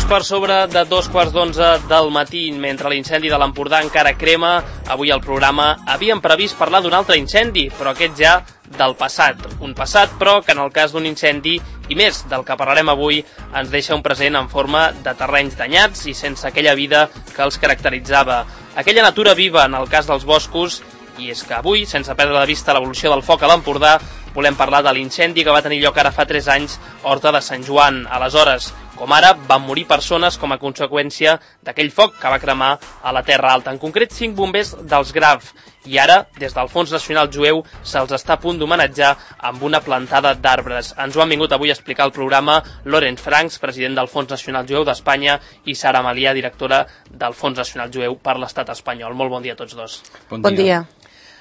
per sobre de 2:15 del matí, mentre l'incendi de l'Empordà encara crema. Avui al programa havíem previst parlar d'un altre incendi, però aquest ja del passat. Un passat, però, que en el cas d'un incendi, i més del que parlarem avui, ens deixa un present en forma de terrenys danyats i sense aquella vida que els caracteritzava. Aquella natura viva en el cas dels boscos, i és que avui, sense perdre de vista l'evolució del foc a l'Empordà, volem parlar de l'incendi que va tenir lloc ara fa 3 anys a Horta de Sant Joan. Aleshores, com ara, van morir persones com a conseqüència d'aquell foc que va cremar a la Terra Alta, en concret 5 bombers dels Graf. I ara, des del Fons Nacional Jueu, se'ls està a punt d'homenatjar amb una plantada d'arbres. Ens ho han vingut avui a explicar al programa Lorenz Franks, president del Fons Nacional Jueu d'Espanya, i Sara Malià, directora del Fons Nacional Jueu per l'Estat espanyol. Molt bon dia a tots dos. Bon dia.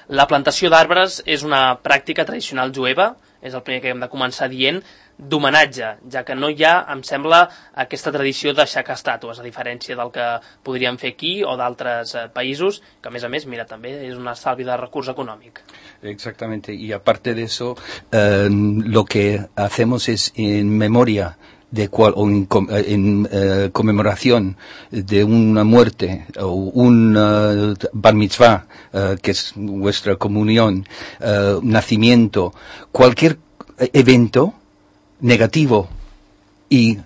La plantació d'arbres és una pràctica tradicional jueva, és el primer que hem de començar dient, d'homenatge, ja que no hi ha, em sembla, aquesta tradició d'aixecar estàtues, a diferència del que podríem fer aquí o d'altres països, que a més, mira, també és un estalvi de recurs econòmic. Exactamente, y aparte de eso, lo que hacemos es en memoria o en conmemoración de una muerte o un bar mitzvah, que es vuestra comunión, nacimiento, cualquier evento negativo y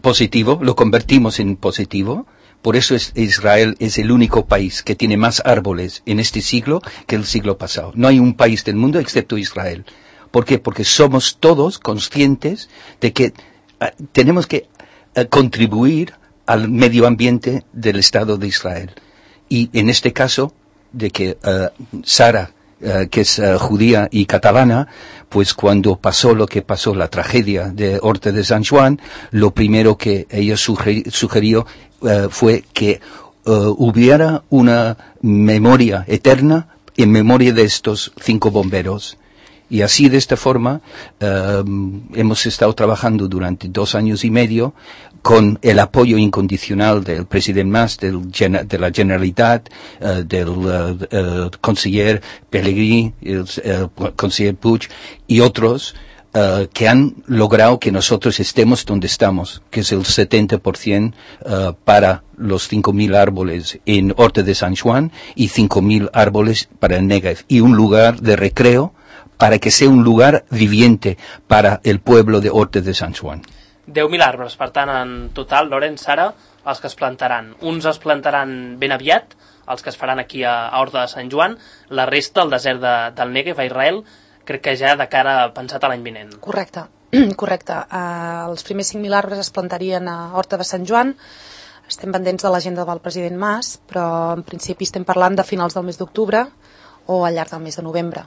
positivo, lo convertimos en positivo. Por eso Israel es el único país que tiene más árboles en este siglo que el siglo pasado. No hay un país del mundo excepto Israel. ¿Por qué? Porque somos todos conscientes de que tenemos que contribuir al medio ambiente del Estado de Israel. Y en este caso, de que Sara, que es judía y catalana, pues cuando pasó lo que pasó, la tragedia de Horta de Sant Joan, lo primero que ella sugirió fue que hubiera una memoria eterna en memoria de estos 5 bomberos. Y así, de esta forma, hemos estado trabajando durante 2 años y medio con el apoyo incondicional del presidente Mas, de la Generalitat, del conseller Pellegrini, el conseller Puig y otros, que han logrado que nosotros estemos donde estamos, que es el 70% para los 5.000 árboles en Horta de Sant Joan y 5.000 árboles para el Negev, y un lugar de recreo para que sea un lugar viviente para el pueblo de Horta de Sant Joan. 10.000 arbres, per tant, en total, Lorenz, Sara, els que es plantaran. Uns es plantaran ben aviat, els que es faran aquí a Horta de Sant Joan, la resta, al desert del Negev, a Israel, crec que ja de cara pensat a l'any vinent. Correcte. Els primers 5.000 arbres es plantarien a Horta de Sant Joan. Estem pendents de l'agenda del president Mas, però en principi estem parlant de finals del mes d'octubre o al llarg del mes de novembre.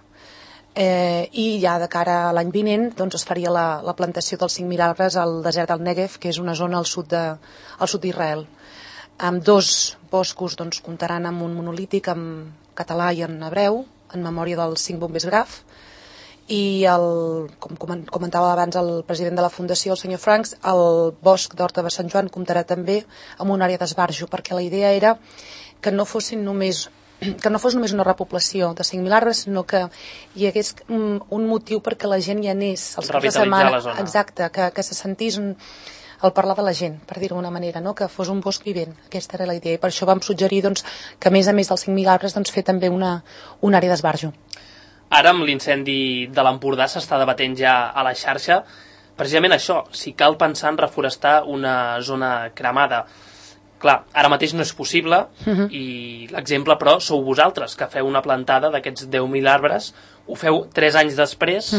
I ja de cara a l'any vinent doncs es faria la plantació dels 5.000 arbres al desert del Negev, que és una zona al sud d'Israel. Amb 2 boscos doncs, comptaran amb un monolític en català i en hebreu, en memòria dels 5 bombers Graf, i com comentava abans el president de la Fundació, el senyor Franks, el bosc d'Horta de Sant Joan comptarà també amb una àrea d'esbarjo, perquè la idea era que no fos només una repoblació de 5.000 arbres, sinó que hi hagués un motiu perquè la gent hi anés els caps de setmana. La zona. Exacte, que se sentís el parlar de la gent, per dir-ho d'una manera, no? Que fos un bosc vivent. Aquesta era la idea, i per això vam suggerir doncs, que a més dels 5.000 arbres doncs, fer també una àrea d'esbarjo. Ara, amb l'incendi de l'Empordà, s'està debatent ja a la xarxa precisament això, si cal pensar en reforestar una zona cremada. Clar, ara mateix no és possible, i l'exemple, però, sou vosaltres, que feu una plantada d'aquests 10.000 arbres, ho feu 3 anys després.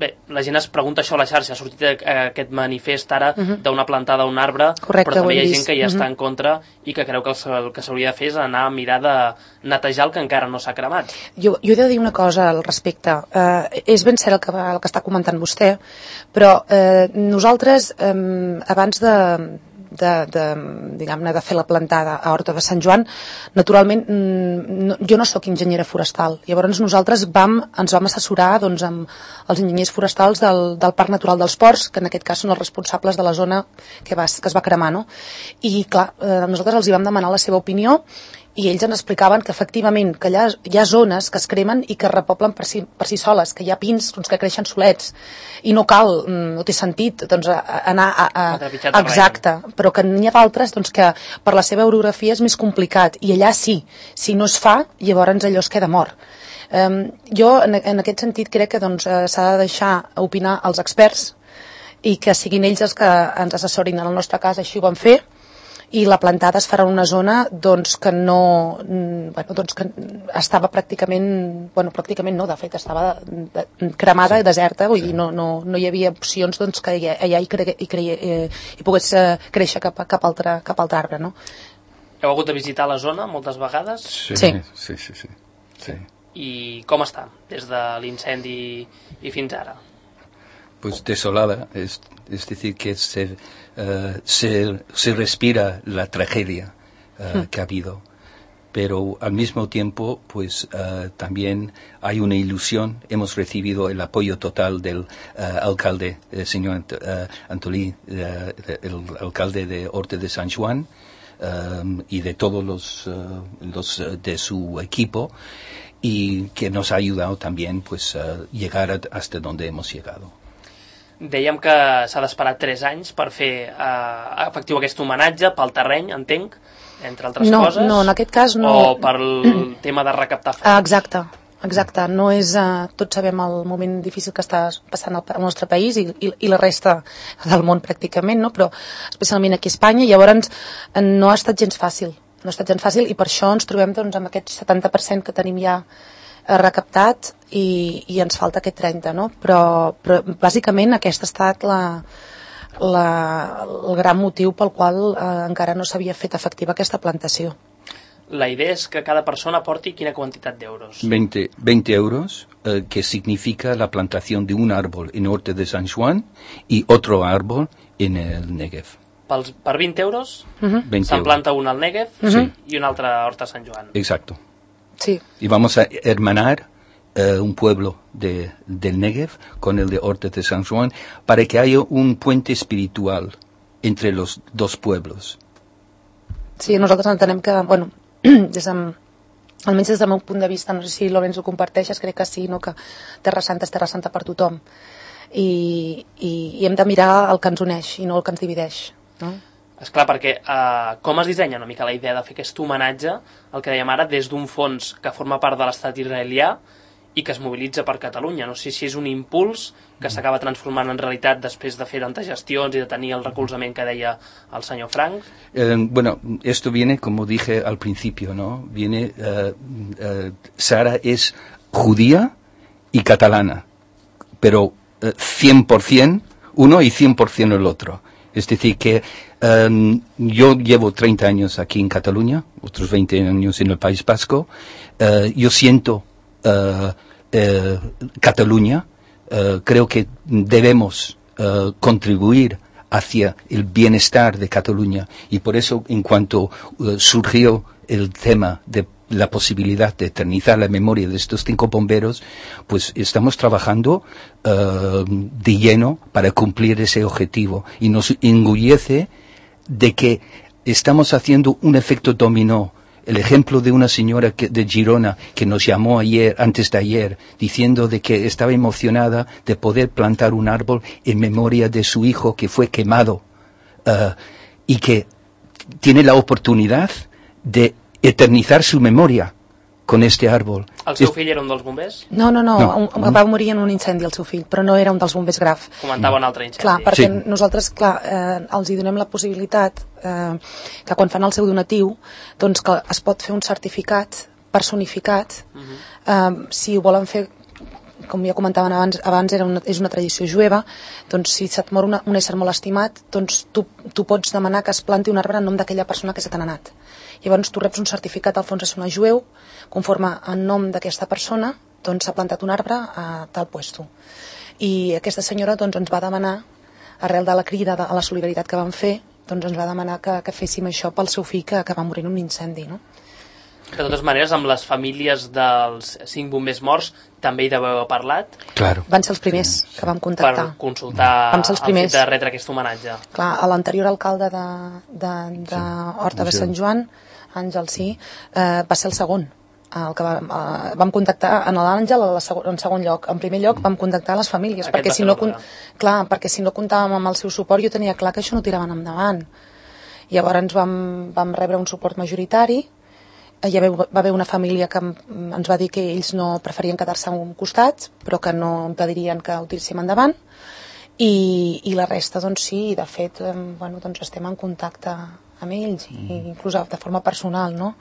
Bé, la gent es pregunta això a la xarxa, ha sortit aquest manifest ara d'una plantada d'un arbre, correcte, però també hi ha gent que ja està en contra i que creu que el que s'hauria de fer és anar a mirar de netejar el que encara no s'ha cremat. Jo he de dir una cosa al respecte. És ben cert el que està comentant vostè, però nosaltres, abans de fer la plantada a Horta de Sant Joan, naturalment jo no sóc enginyera forestal, llavors nosaltres ens vam assessorar doncs, amb els enginyers forestals del Parc Natural dels Ports, que en aquest cas són els responsables de la zona que es va cremar, no? I clar, nosaltres els hi vam demanar la seva opinió i ells ens explicaven que efectivament que allà hi ha zones que es cremen i que es repoblen per si soles, que hi ha pins doncs, que creixen solets i no cal, no té sentit doncs, anar exacte, però que n'hi ha d'altres doncs, que per la seva orografia és més complicat i allà sí, si no es fa llavors allò es queda mort. Jo en aquest sentit crec que doncs, s'ha de deixar opinar els experts i que siguin ells els que ens assessorin. En el nostre cas així ho vam fer i la plantada es farà en una zona doncs, que no doncs, que estava pràcticament no, de fet estava cremada i deserta, vull dir, no hi havia opcions doncs, que allà hi pogués créixer cap altre arbre, no? Heu hagut de visitar la zona moltes vegades? Sí. I com està des de l'incendi i fins ara? Pues desolada, es decir, que se respira la tragedia que ha habido, pero al mismo tiempo, pues también hay una ilusión. Hemos recibido el apoyo total del alcalde, el señor Antolí, el alcalde de Horta de Sant Joan, y de todos los de su equipo, y que nos ha ayudado también pues llegar hasta donde hemos llegado. Dèiem que s'ha d'esperar 3 anys per fer efectiu aquest homenatge pel terreny, entenc, entre altres coses. No, en aquest cas no. O pel tema de recaptar fons. Exacte. No és, tots sabem el moment difícil que està passant al nostre país i la resta del món pràcticament, no? Però especialment aquí a Espanya, llavors no ha estat gens fàcil. I per això ens trobem doncs, amb aquest 70% que tenim ja recaptat i ens falta aquest 30%, no? Però bàsicament aquest ha estat el gran motiu pel qual encara no s'havia fet efectiva aquesta plantació. La idea és que cada persona aporti quina quantitat d'euros? 20 euros, que significa la plantación de un árbol en Horta de Sant Joan y otro árbol en el Negev. Per 20 euros se'n planta un al Negev i un altre a Horta Sant Joan. Exacto. Sí. Y vamos a hermanar un pueblo del Negev con el de Horta de Sant Joan para que haya un puente espiritual entre los dos pueblos. Sí, nosaltres entenem que, almenys des del meu punt de vista, no sé si Lorenzo ho comparteixes, crec que sí, no? Que Terra Santa és Terra Santa per tothom i hem de mirar el que ens uneix i no el que ens divideix, no? Esclar, perquè com es dissenya una mica la idea de fer aquest homenatge, el que dèiem ara, des d'un fons que forma part de l'estat israelià i que es mobilitza per Catalunya. No sé si és un impuls que s'acaba transformant en realitat després de fer tantes gestions i de tenir el recolzament que deia el senyor Frank. Esto viene, como dije al principio, ¿no? Sara es judía y catalana, pero 100% uno y 100% el otro. Es decir, que yo llevo 30 años aquí en Cataluña, otros 20 años en el País Vasco. Yo siento Cataluña. Creo que debemos contribuir hacia el bienestar de Cataluña. Y por eso, en cuanto surgió el tema de la posibilidad de eternizar la memoria de estos 5 bomberos, pues estamos trabajando de lleno para cumplir ese objetivo. Y nos enorgullece de que estamos haciendo un efecto dominó. El ejemplo de una señora de Girona que nos llamó antes de ayer, diciendo de que estaba emocionada de poder plantar un árbol en memoria de su hijo que fue quemado y que tiene la oportunidad de eternizar su memoria con este árbol. El seu fill era un dels bombers? No. Va morir en un incendi el seu fill, però no era un dels bombers graf. Comentava un altre incendi. Clar, perquè nosaltres els hi donem la possibilitat que quan fan el seu donatiu, doncs que es pot fer un certificat personificat. Si ho volen fer, com ja comentaven abans és una tradició jueva, doncs si se't mor un ésser molt estimat, doncs tu pots demanar que es planti un arbre en nom d'aquella persona que se t'ha anat. Llavors tu reps un certificat al fons de sonar jueu, conforme en nom d'aquesta persona, doncs s'ha plantat un arbre a tal puesto. I aquesta senyora doncs ens va demanar, arrel de la crida a la solidaritat que vam fer, doncs ens va demanar que féssim això pel seu fill que va morir en un incendi, no? De totes maneres, amb les famílies dels 5 bombers morts també hi deveu haver parlat? Claro. Van ser els primers que vam contactar. Per consultar Vam ser els primers. el fet de retre aquest homenatge. Clar, a l'anterior alcalde de Horta de Sant Joan, Àngel, sí, va ser el segon. El que vam contactar en l'Àngel en segon lloc. En primer lloc vam contactar les famílies, perquè si no comptàvem amb el seu suport, jo tenia clar que això no tiraven endavant. Llavors vam rebre un suport majoritari. Hi va haver una família que ens va dir que ells no preferien quedar-se a un costat, però que no impedirien que ho tiréssim endavant, i la resta, doncs sí, de fet, doncs estem en contacte amb ells, i inclús de forma personal, no?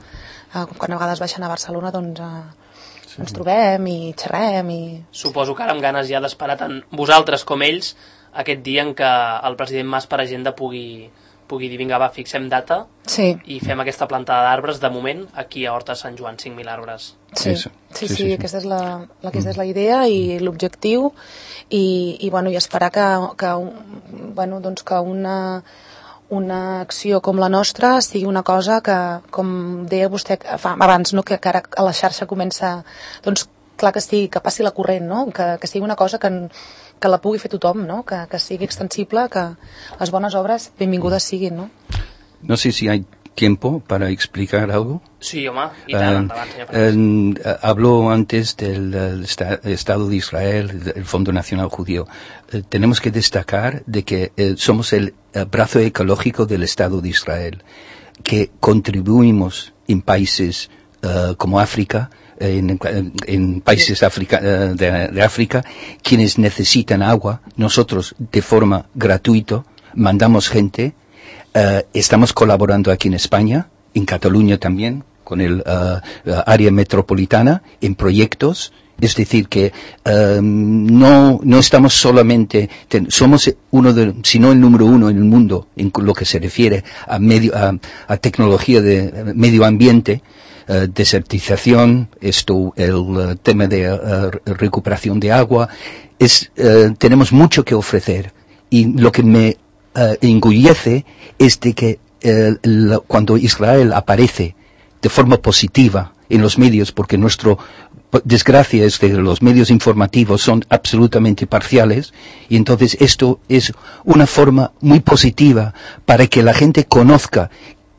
Quan a vegades baixen a Barcelona, doncs ens trobem i xerrem. Suposo que ara amb ganes ja d'esperar tant vosaltres com ells aquest dia en què el president Mas per agenda pugui dir, vinga, va, fixem data i fem aquesta plantada d'arbres, de moment, aquí a Horta de Sant Joan, 5.000 arbres. Sí, aquesta és la idea i l'objectiu, i esperar que una acció com la nostra sigui una cosa que, com deia vostè abans, no? que ara a la xarxa comença, doncs clar que passi la corrent, no? que sigui una cosa que la pugui fer tothom, no? Que sigui extensible, que les bones obres benvingudes siguin, no? No sé si hay tiempo para explicar algo. Sí, home, i tant, endavant, senyor Fernández. Hablo antes del Estado de Israel, el Fondo Nacional Judío. Tenemos que destacar de que somos el brazo ecológico del Estado de Israel, que contribuimos en países como África, en países de África, quienes necesitan agua. Nosotros, de forma gratuita, mandamos gente. Estamos colaborando aquí en España, en Cataluña también, con el área metropolitana, en proyectos. Es decir, que no estamos solamente, somos si no el número uno en el mundo en lo que se refiere a tecnología de medio ambiente, desertización, el tema de recuperación de agua. Tenemos mucho que ofrecer, y lo que me engullece es de que cuando Israel aparece de forma positiva en los medios, porque nuestra desgracia es que los medios informativos son absolutamente parciales, y entonces esto es una forma muy positiva para que la gente conozca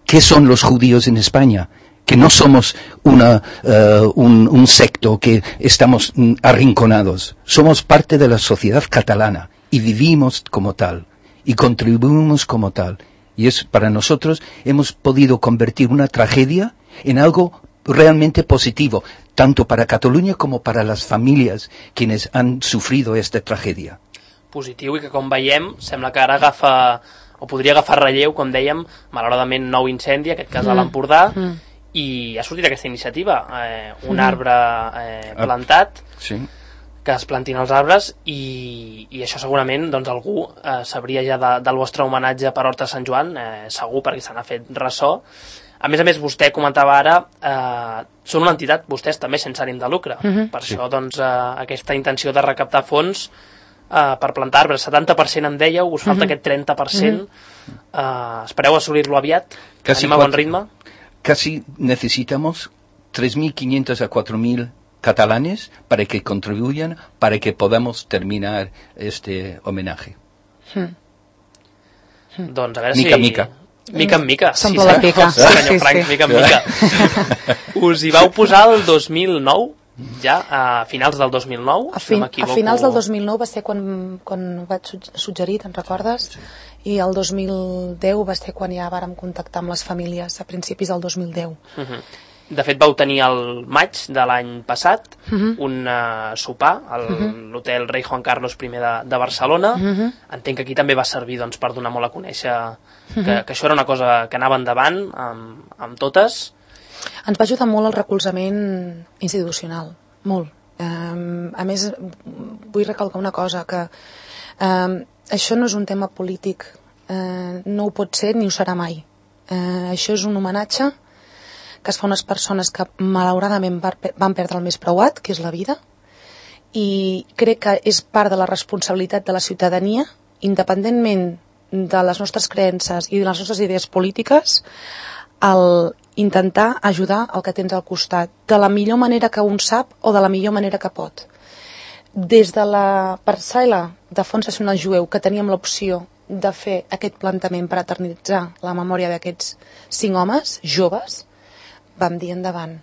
qué son los judíos en España, que no somos un secto que estamos arrinconados, somos parte de la sociedad catalana y vivimos como tal y contribuimos como tal. Y para nosotros hemos podido convertir una tragedia en algo realmente positivo, tanto para Catalunya como para las familias quienes han sufrido esta tragedia. Positiu, i que com veiem sembla que ara podria agafar relleu, com dèiem, malauradament nou incendi, aquest cas a l'Empordà, i ha sortit aquesta iniciativa, un arbre plantat, que es plantin els arbres, i això segurament doncs, algú sabria ja del vostre homenatge per Horta de Sant Joan, segur, perquè se n'ha fet ressò. A més, vostè comentava ara, són una entitat, vostès també, sense ànim de lucre. Per això, doncs, aquesta intenció de recaptar fons per plantar arbres, 70% em dèieu, us falta aquest 30%, espereu assolir-lo aviat? Anem a bon ritme? Casi necesitamos 3.500 a 4.000 catalanes para que contribuyan, para que podamos terminar este homenaje. Doncs a veure mica, mica. Mica en mica. S'omple la pica. Senyor Frank, mica en mica. Us hi vau posar el 2009, ja, a finals del 2009, a finals del 2009 va ser quan vaig suggerir, te'n recordes? I el 2010 va ser quan ja vàrem contactar amb les famílies, a principis del 2010. De fet, vau tenir el maig de l'any passat un sopar a l'hotel Rei Juan Carlos I de Barcelona. Entenc que aquí també va servir doncs, per donar molt a conèixer que això era una cosa que anava endavant amb totes. Ens va ajudar molt el recolzament institucional, molt. A més, vull recalcar una cosa, que això no és un tema polític, no ho pot ser ni ho serà mai. Això és un homenatge que es fa a unes persones que malauradament van perdre el més preuat, que és la vida, i crec que és part de la responsabilitat de la ciutadania, independentment de les nostres creences i de les nostres idees polítiques, el intentar ajudar el que tens al costat, de la millor manera que un sap o de la millor manera que pot. Des de la parcel·la de Fons Nacional Jueu, que teníem l'opció de fer aquest plantament per eternitzar la memòria d'aquests 5 homes joves, vam dir endavant.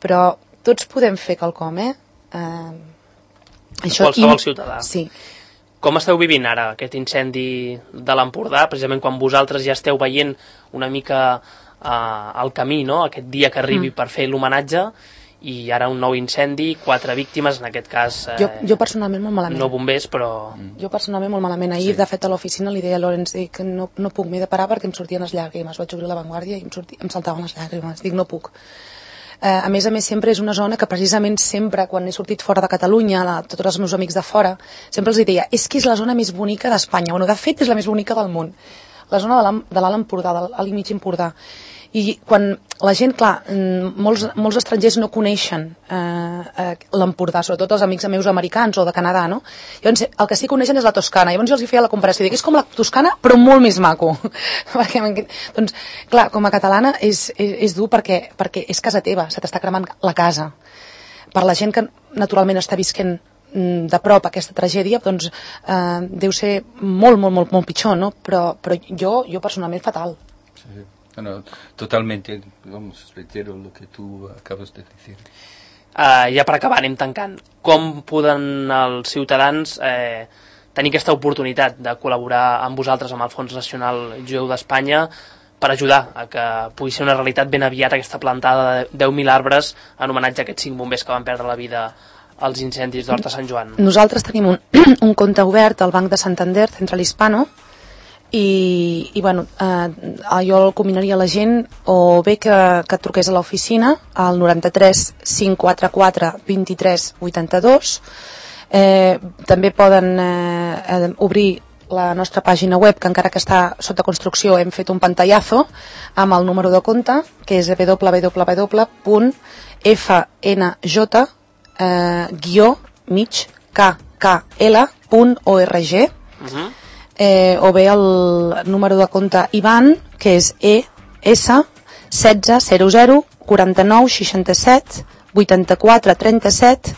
Però tots podem fer quelcom, Qualsevol ciutadà. Sí. Com esteu vivint ara aquest incendi de l'Empordà, precisament quan vosaltres ja esteu veient una mica el camí, no? Aquest dia que arribi per fer l'homenatge, i ara un nou incendi, 4 víctimes, en aquest cas... Jo personalment molt malament. No bombers, però... Jo personalment molt malament. Ahir, de fet, a l'oficina li deia a Lorenz que no puc, m'he de parar perquè em sortien les llàgrimes. Vaig obrir La Vanguardia i em saltaven les llàgrimes. Dic, no puc. A més, sempre és una zona que precisament sempre, quan he sortit fora de Catalunya, tots els meus amics de fora, sempre els deia, és que és la zona més bonica d'Espanya. Bueno, de fet, és la més bonica del món. La zona de l'Alt Empordà, de l'Alt i Mig Empordà. I quan la gent, clar, molts estrangers no coneixen l'Empordà, sobretot els amics meus americans o de Canadà, no? Llavors, el que sí que coneixen és la Toscana. Llavors jo els feia la comparació, dic, és com la Toscana, però molt més maco. Doncs, clar, com a catalana és dur perquè és casa teva, se t'està cremant la casa. Per la gent que naturalment està visquent de prop aquesta tragèdia, doncs deu ser molt pitjor, no? Però jo personalment fatal. Sí. No, totalmente, reitero lo que tú acabas de decir. Ja per acabar, anem tancant. Com poden els ciutadans tenir aquesta oportunitat de col·laborar amb vosaltres, amb el Fons Nacional Jueu d'Espanya, per ajudar a que pugui ser una realitat ben aviat aquesta plantada de 10.000 arbres en homenatge a aquests 5 bombers que van perdre la vida als incendis d'Horta Sant Joan? Nosaltres tenim un compte obert al Banc de Santander, Central Hispano, i bueno, jo el combinaria a la gent o bé que truqués a l'oficina al 93 544 23 82. També poden obrir la nostra pàgina web, que encara que està sota construcció hem fet un pantallazo amb el número de compte, que és www.fnj-kl.org. O bé el número de compte IBAN, que és ES 1600 49 67 84 37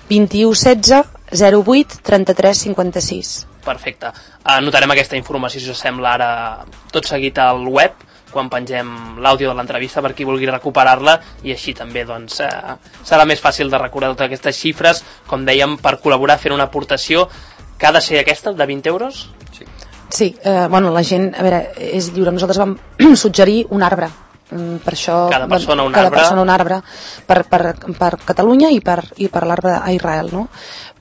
21 16 08 33 56. Perfecte. Anotarem aquesta informació, si us sembla, ara tot seguit al web, quan pengem l'àudio de l'entrevista per qui vulgui recuperar-la, i així també doncs, serà més fàcil de recordar totes aquestes xifres, com dèiem, per col·laborar fent una aportació que ha de ser aquesta, de 20 euros? Sí, bueno, la gent, a veure, és lliure. Nosaltres vam suggerir un arbre. Per això, cada persona un arbre per Catalunya i per l'arbre a Israel, no?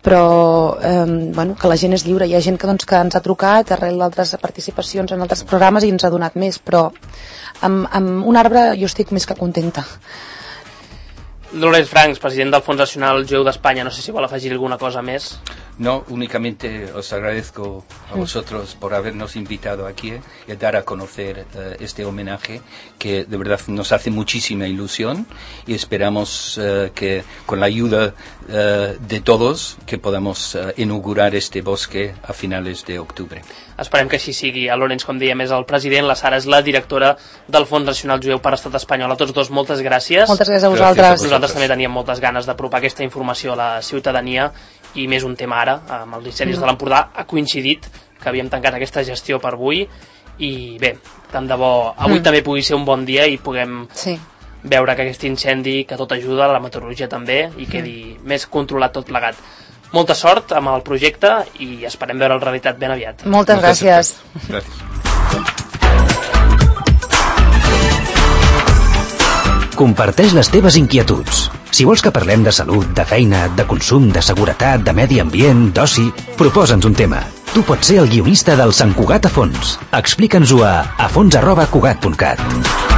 Però bueno, que la gent és lliure. Hi ha gent que ens ha trucat arrel d'altres participacions en altres programes i ens ha donat més, però amb un arbre jo estic més que contenta. Lorenz Franks, president del Fons Nacional Jueu d'Espanya, no sé si vol afegir alguna cosa més. No, únicamente os agradezco a vosotros por habernos invitado aquí y dar a conocer este homenaje que de verdad nos hace muchísima ilusión, y esperamos que con la ayuda de todos que podamos inaugurar este bosque a finales de octubre. Esperem que així sigui. El Lorenz, com dèiem, és el president, la Sara és la directora del Fons Nacional Jueu per Estat Espanyol. A tots dos, moltes gràcies. Moltes gràcies a vosaltres. Nosaltres també teníem moltes ganes d'apropar aquesta informació a la ciutadania, i més un tema ara, amb els incendis de l'Empordà, ha coincidit que havíem tancat aquesta gestió per avui, i bé, tant de bo avui també pugui ser un bon dia i puguem veure que aquest incendi, que tot ajuda, la meteorologia també, i quedi més controlat tot plegat. Molta sort amb el projecte i esperem veure la realitat ben aviat. Moltes gràcies. Comparteix les teves inquietuds. Si vols que parlem de salut, de feina, de consum, de seguretat, de medi ambient, d'oci, proposa'ns un tema. Tu pots ser el guionista del Sant Cugat a Fons. Explica'ns-ho a fons@cugat.cat.